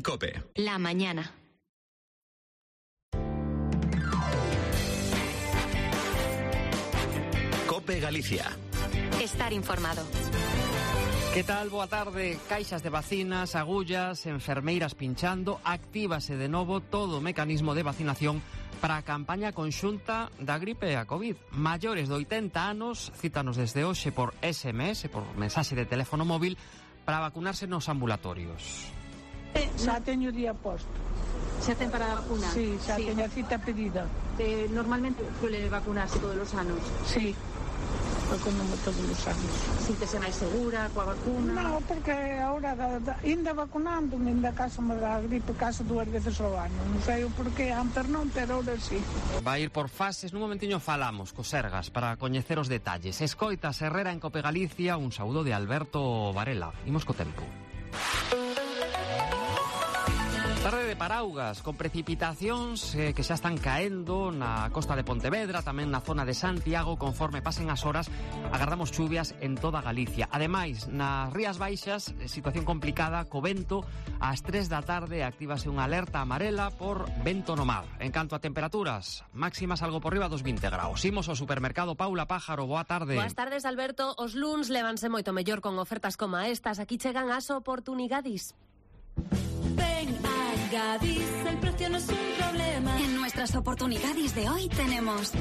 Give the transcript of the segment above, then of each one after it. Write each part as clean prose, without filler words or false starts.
COPE. La mañana. COPE Galicia. Estar informado. Que tal? Boa tarde. Caixas de vacinas, agullas, enfermeiras pinchando. Actívase de novo todo o mecanismo de vacinación para a campaña conxunta da gripe e a COVID. Maiores de 80 anos, cítanos desde hoxe por SMS, por mensaxe de teléfono móvil, para vacunarse nos ambulatorios. Xa teño o día posto. Xa ten para vacunar? Sí, xa teño a cita pedida. Normalmente suele vacunarse todos os anos? Sí, vacunamos todos os anos. Síntese máis segura coa vacuna? Non, porque agora ainda vacunando, ainda caso me da gripe, caso 2 veces ao ano. Non sei o porqué, antes non, pero ahora sí. Vai ir por fases, nun momentiño falamos co Sergas para coñecer os detalles. Escoitas Herrera en COPE Galicia, un saúdo de Alberto Varela. Imos co tempo. Tarde de paraugas, con precipitacións que xa están caendo na costa de Pontevedra, tamén na zona de Santiago. Conforme pasen as horas, agardamos chuvias en toda Galicia. Ademais, nas Rías Baixas, situación complicada, co vento. Ás 3 da tarde actívase unha alerta amarela por vento no mar. En canto a temperaturas, máximas algo por riba dos 20 graus. Imos ao supermercado. Paula Pájaro, boa tarde. Boas tardes, Alberto. Os luns levanse moito mellor con ofertas como estas. Aquí chegan as oportunidades. Ven a Gadis, el precio no es un problema. En nuestras oportunidades de hoy tenemos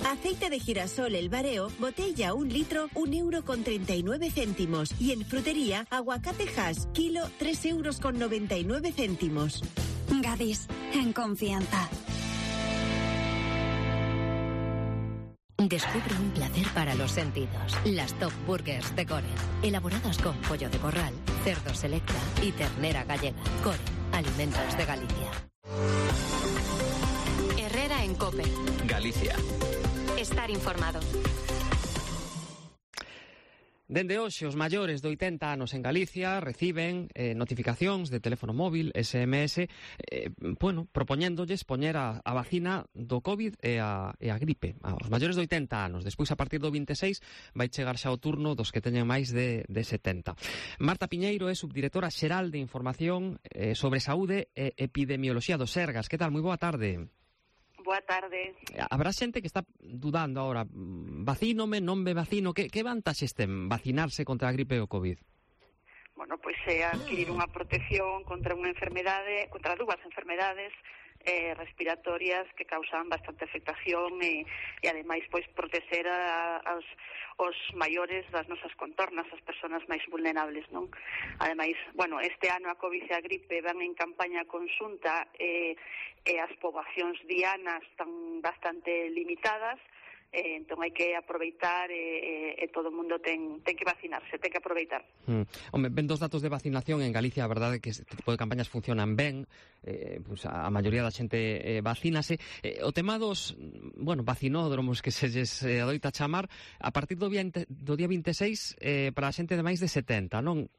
aceite de girasol El Bareo, botella 1 litro, 1,39 €. Y en frutería, aguacate Hass, kilo, 3,99 €. Gadis, en confianza. Descubre un placer para los sentidos. Las Top Burgers de Coren. Elaboradas con pollo de corral, cerdo selecta y ternera gallega. Coren, alimentos de Galicia. Herrera en COPE. Galicia. Estar informado. Dende hoxe, os maiores de 80 anos en Galicia reciben notificacións de teléfono móvil, SMS, propoñéndolles poñer a vacina do COVID e a gripe. Os maiores de 80 anos. Despois, a partir do 26, vai chegar xa o turno dos que teñen máis de 70. Marta Piñeiro é subdirectora xeral de Información sobre Saúde e Epidemioloxía do Sergas. Que tal? Moi boa tarde. Boa tarde. Habrá xente que está dudando agora, vacínome, non me vacino, que vantaxes ten vacinarse contra a gripe e o COVID? Bueno, pois é adquirir unha protección contra unha enfermedade, contra dúas enfermedades respiratorias que causan bastante afectación e ademais pois proteger os maiores das nosas contornas, as persoas máis vulnerables, non? Ademais, bueno, este ano a COVID e a gripe van en campaña conxunta e as poboacións dianas están bastante limitadas. Entón hai que aproveitar e todo o mundo ten que vacinarse, ten que aproveitar. Home, ven dos datos de vacinación en Galicia, a verdade é que este tipo de campañas funcionan ben, pues a maioría da xente vacínase. O tema dos, vacinódromos que se lles adoita chamar, a partir do día 26 para a xente de máis de 70, non?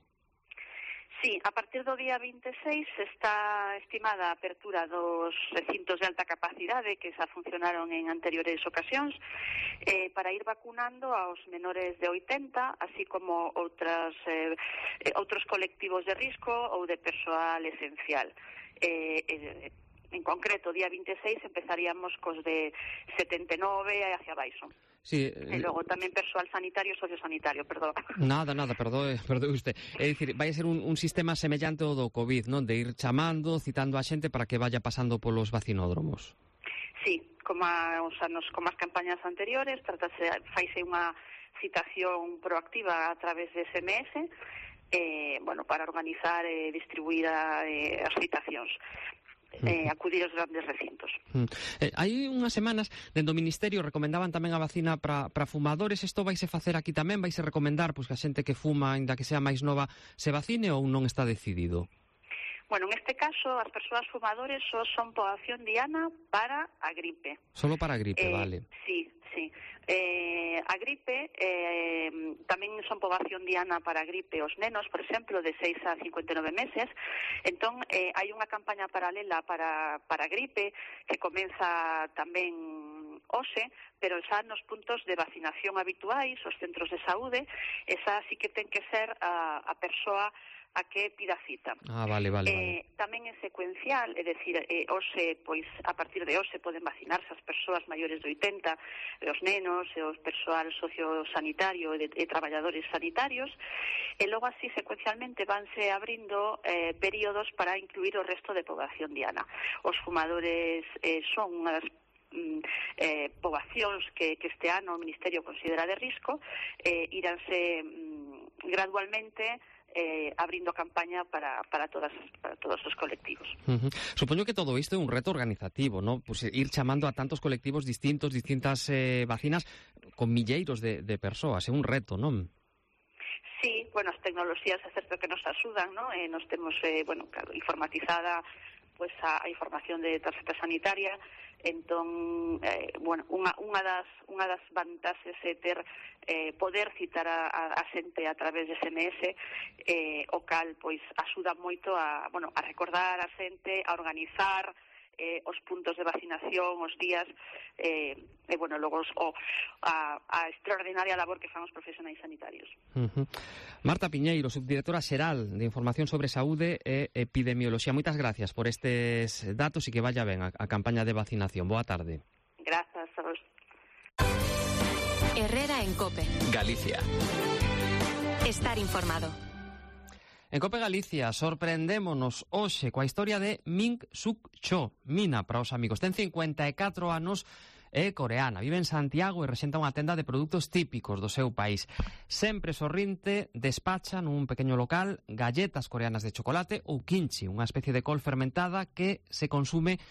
Sí, a partir do día 26 está estimada a apertura dos recintos de alta capacidade que xa funcionaron en anteriores ocasións para ir vacunando aos menores de 80, así como outros colectivos de risco ou de persoal esencial. En concreto, día 26 empezaríamos cos de 79 e hacia baixo. Sí, e logo tamén persoal sanitario e sociosanitario, perdón. Nada, perdoe usted. É dicir, vai ser un sistema semellante ao do COVID, non? De ir chamando, citando a xente para que vaya pasando polos vacinódromos. Sí, como as campañas anteriores, faise unha citación proactiva a través de SMS, para organizar e distribuir as citacións. Acudir aos grandes recintos. Hai unhas semanas, dentro do Ministerio, recomendaban tamén a vacina para fumadores. Isto vaise facer aquí tamén? Vaise recomendar que a xente que fuma, ainda que sea máis nova, se vacine ou non está decidido? Bueno, en este caso, as persoas fumadores só son poboación diana para a gripe. Solo para a gripe, vale. Sí. A gripe tamén son poboación diana para a gripe os nenos, por exemplo, de 6 a 59 meses. Entón, hai unha campaña paralela para a gripe que comeza tamén hoxe, pero xa nos puntos de vacinación habituais, os centros de saúde, esa sí que ten que ser a persoa a que pida cita. Vale. Tamén é secuencial, é dicir, hoxe, pois, a partir de hoxe poden vacinarse as persoas maiores de 80, os nenos, os persoal sociosanitario e traballadores sanitarios, e logo así secuencialmente vanse abrindo períodos para incluir o resto de poboación diana. Os fumadores son unha das poboacións que este ano o Ministerio considera de risco, iránse gradualmente abrindo campaña para todos os colectivos. Supoño que todo isto é un reto organizativo, ¿no? Pues ir chamando a tantos colectivos distintas vacinas con milleiros de persoas, é un reto, non? Sí, bueno, as tecnoloxías é certo que nos axudan, ¿no? Nos temos, claro, informatizada pues a información de tarxeta sanitaria. Entón, unha das vantaxes é ter poder citar a xente a través de SMS, o cal pois axuda moito a recordar a xente, a organizar os puntos de vacinación, os días, logo a extraordinaria labor que fan os profesionais sanitarios. Marta Piñeiro, subdirectora xeral de Información sobre Saúde e Epidemioloxía. Moitas gracias por estes datos e que vaya ben a campaña de vacinación. Boa tarde. Grazas a vos. Herrera en COPE. Galicia. Estar informado. En COPE Galicia sorprendémonos hoxe coa historia de Min Suk Cho, Mina para os amigos. Ten 54 anos, é coreana, vive en Santiago e rexenta unha tenda de produtos típicos do seu país. Sempre sorrinte, despacha nun pequeno local galletas coreanas de chocolate ou kimchi, unha especie de col fermentada que se consume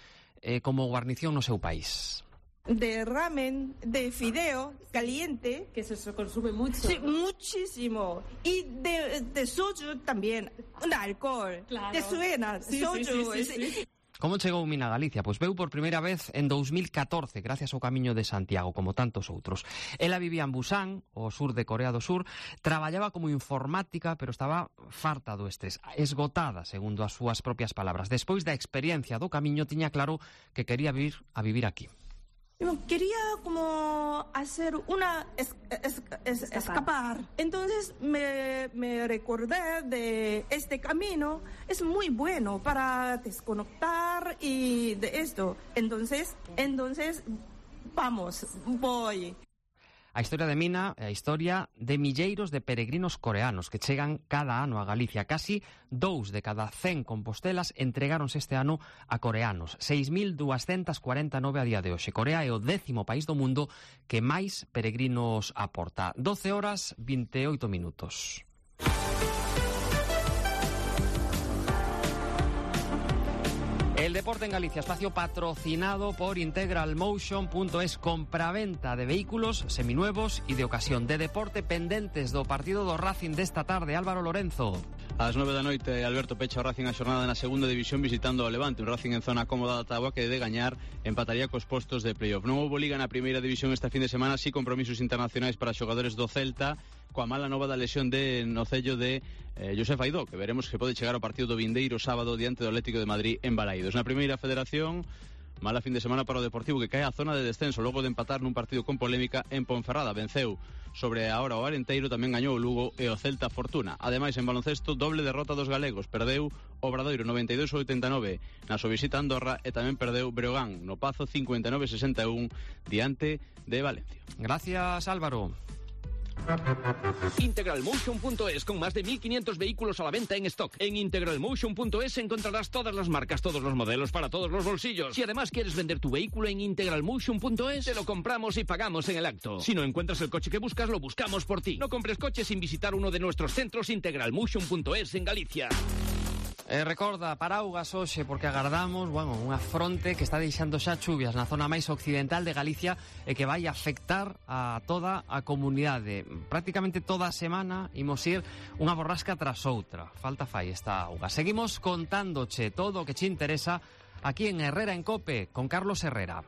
como guarnición no seu país. De ramen, de fideo caliente. Que se consume mucho. Sí, muchísimo. Y de soju también, de alcohol. Claro. ¿Te suena? Sí, soju. Sí. Como chegou Mina a Galicia? Pois veu por primeira vez en 2014, gracias ao Camiño de Santiago, como tantos outros. Ela vivía en Busan, o sur de Corea do Sur, traballaba como informática, pero estaba farta do estrés, esgotada, segundo as súas propias palabras. Despois da experiencia do Camiño, tiña claro que quería vir a vivir aquí. Quería como hacer una escapar. Entonces me recordé de este camino. Es muy bueno para desconectar y de esto. Entonces, voy. A historia de Mina é a historia de milleiros de peregrinos coreanos que chegan cada ano a Galicia. Casi 2 de cada 100 compostelas entregáronse este ano a coreanos. 6.249 a día de hoxe. Corea é o 10º país do mundo que máis peregrinos aporta. 12 horas, 28 minutos. El deporte en Galicia, espacio patrocinado por integralmotion.es, compraventa de vehículos seminuevos y de ocasión. De deporte, pendentes do partido do Racing desta tarde. Álvaro Lorenzo. Ás 9 da noite, Alberto pecha o Racing a xornada na segunda división visitando o Levante. Un Racing en zona cómoda da táboa que de gañar empataría cos postos de playoff. Non houbo liga na primeira división este fin de semana, si compromisos internacionais para xogadores do Celta, coa mala nova da lesión no cello de Josef Aidó, que veremos que pode chegar ao partido do vindeiro sábado diante do Atlético de Madrid en Balaídos. Na primeira federación, mala fin de semana para o Deportivo, que cae a zona de descenso logo de empatar nun partido con polémica en Ponferrada. Venceu sobre a hora o Arenteiro, tamén gañou o Lugo e o Celta Fortuna. Ademais, en baloncesto, doble derrota dos galegos. Perdeu o Obradoiro 92-89 na súa visita a Andorra e tamén perdeu Breogán no Pazo 59-61 diante de Valencia. Gracias, Álvaro. Integralmotion.es, con más de 1.500 vehículos a la venta en stock. En integralmotion.es encontrarás todas las marcas, todos los modelos para todos los bolsillos. Si además quieres vender tu vehículo en integralmotion.es, te lo compramos y pagamos en el acto. Si no encuentras el coche que buscas, lo buscamos por ti. No compres coches sin visitar uno de nuestros centros. Integralmotion.es en Galicia. Recorda, paraugas hoxe, porque agardamos unha fronte que está deixando xa chuvias na zona máis occidental de Galicia e que vai afectar a toda a comunidade. Prácticamente toda a semana imos ir unha borrasca tras outra. Falta fai esta auga. Seguimos contándoche todo o que che interesa aquí en Herrera en COPE con Carlos Herrera.